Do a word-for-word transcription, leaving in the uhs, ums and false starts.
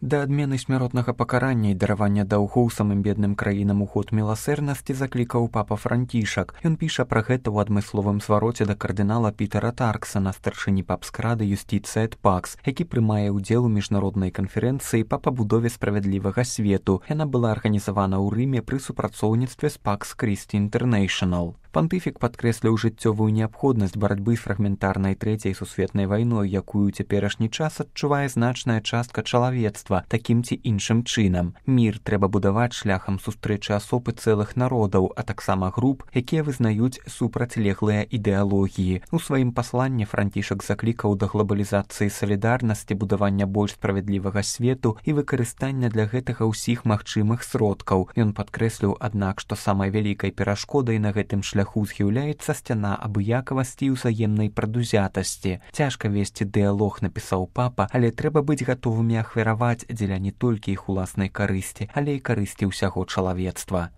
Да адмены смяротнага пакарання і даравання даўгоў самым бедным краінам у ход міласэрнасці заклікаў папа Францішак. Ён піша пра гэта ў адмысловым звароце да кардынала Пітера Тарксана, старшыні папскрады Юстіцыя эт Пакс, які прымае ўдзел у міжнароднай канферэнцыі па пабудове справядлівага свету. Яна была арганізавана ў Рыме пры супрацоўніцтве з Пакс Крісці Інтэрнэйшнл. Пантыфік падкрэсліў жыццёвую неабходнасць барацьбы з фрагментарнай трэцяй сусветнай вайной, якую ў цяперашні час адчувае значная частка чалавецтва такім ці іншым чынам. Мір трэба будаваць шляхам сустрэчы асоб і цэлых народаў, а таксама груп, якія вызнаюць супрацьлеглыя ідэалогіі. У сваім пасланні Францішак заклікаў да глобалізацыі салідарнасці, будавання больш справядлівага свету і выкарыстання для гэтага ўсіх магчымых сродкаў. Ён падкрэсліў, аднак, што самай вялікай перашкодай на гэтым шляху з'яўляецца сцяна абыякавасці і ўзаемнай прадузятасці. Цяжка весці дыялог, напісаў папа, але трэба быць гатовымі ахвяраваць дзеля не толькі іх уласнай карысці, але і карысці ўсяго чалавецтва.